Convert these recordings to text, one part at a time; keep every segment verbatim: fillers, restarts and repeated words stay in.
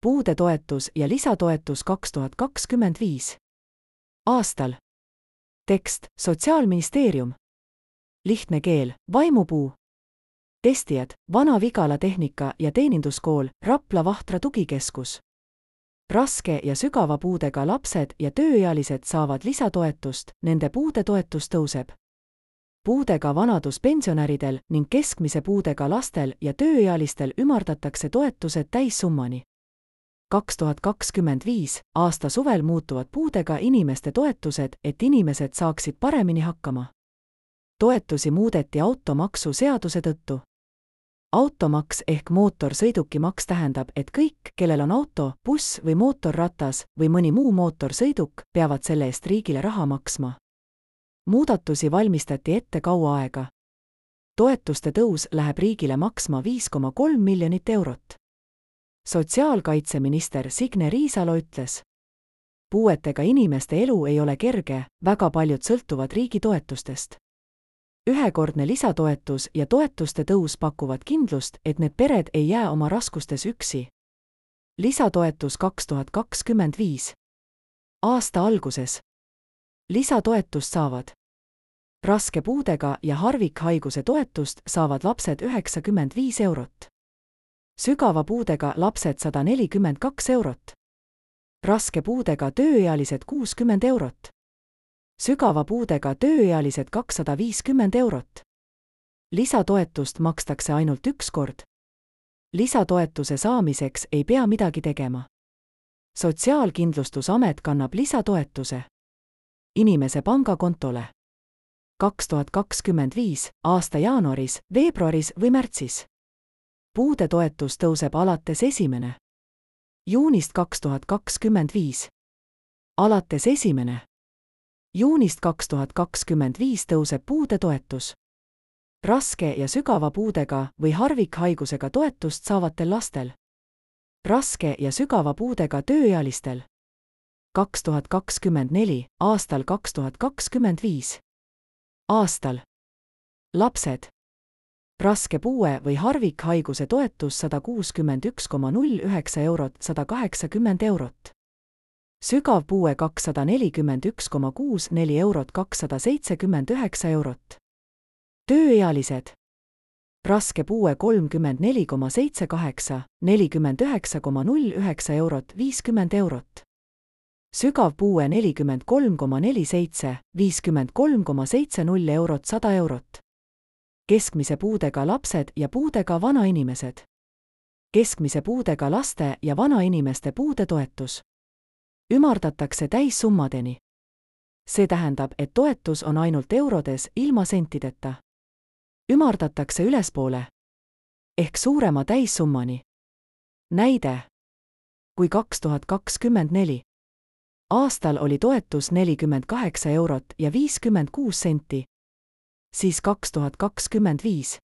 puudetoetus ja lisatoetus kaks tuhat kakskümmend viis. Aastal. Tekst, Sotsiaalministeerium. Lihtne keel, Vaimupuu. Testijad, Vana-Vigala Tehnika- ja Teeninduskool, Rapla Vahtra Tugikeskus. Raske ja sügava puudega lapsed ja tööealised saavad lisatoetust, nende puudetoetus tõuseb. Puudega vanaduspensionäridel ning keskmise puudega lastel ja tööealistel ümardatakse toetused täissummani. kaks tuhat kakskümmend viis. aasta suvel muutuvad puudega inimeste toetused, et inimesed saaksid paremini hakkama. Toetusi muudeti automaksu seaduse tõttu. Automaks ehk mootorsõidukimaks tähendab, et kõik, kellel on auto, buss või mootorratas või mõni muu mootorsõiduk, peavad selle eest riigile raha maksma. Muudatusi valmistati ette kaua aega. Toetuste tõus läheb riigile maksma viis koma kolm miljonit eurot. Sotsiaalkaitseminister Signe Riisalo ütles: puuetega inimeste elu ei ole kerge, väga paljud sõltuvad riigi toetustest. Ühekordne lisatoetus ja toetuste tõus pakuvad kindlust, et need pered ei jää oma raskustes üksi. Lisatoetus kaks tuhat kakskümmend viis. Aasta alguses. Lisatoetust saavad. Raske puudega ja harvikhaiguse toetust saavad lapsed üheksakümmend viis eurot. Sügava puudega lapsed sada nelikümmend kaks eurot. Raske puudega tööealised kuuskümmend eurot. Sügava puudega tööealised kakssada viiskümmend eurot. Lisatoetust makstakse ainult üks kord. Lisatoetuse saamiseks ei pea midagi tegema. Sotsiaalkindlustusamet kannab lisatoetuse inimese pangakontole. kaks tuhat kakskümmend viis. aasta jaanuaris, veebruaris või märtsis. Puudetoetus tõuseb alates esimene. juunist kaks tuhat kakskümmend viis. Alates esimene. juunist kaks tuhat kakskümmend viis tõuseb puudetoetus. Raske ja sügava puudega või harvikhaigusega toetust saavatel lastel. Raske ja sügava puudega tööealistel. kaks tuhat kakskümmend neli. Aastal kaks tuhat kakskümmend viis. Aastal. Lapsed. Raske puue või harvikhaiguse toetus sada kuuskümmend üks koma null üheksa eurot, sada kaheksakümmend eurot. Sügav puue kakssada nelikümmend üks koma kuus neli eurot, kakssada seitsekümmend üheksa eurot. Tööealised. Raske puue kolmkümmend neli koma seitse kaheksa, nelikümmend üheksa koma null üheksa eurot, viiskümmend eurot. Sügav puue nelikümmend kolm koma neli seitse, viiskümmend kolm koma seitse null eurot, sada eurot. Keskmise puudega lapsed ja puudega vanainimesed. Keskmise puudega laste ja vanainimeste puudetoetus. Ümardatakse täissummadeni. See tähendab, et toetus on ainult eurodes ilma sentideta. Ümardatakse ülespoole. Ehk suurema täissummani. Näide. Kui kaks tuhat kakskümmend neli. Aastal oli toetus nelikümmend kaheksa eurot ja viiskümmend kuus senti. Siis kaks tuhat kakskümmend viis.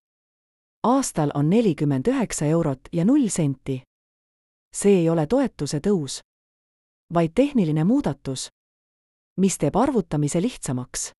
Aastal on nelikümmend üheksa eurot ja null senti. See ei ole toetuse tõus, vaid tehniline muudatus, mis teeb arvutamise lihtsamaks.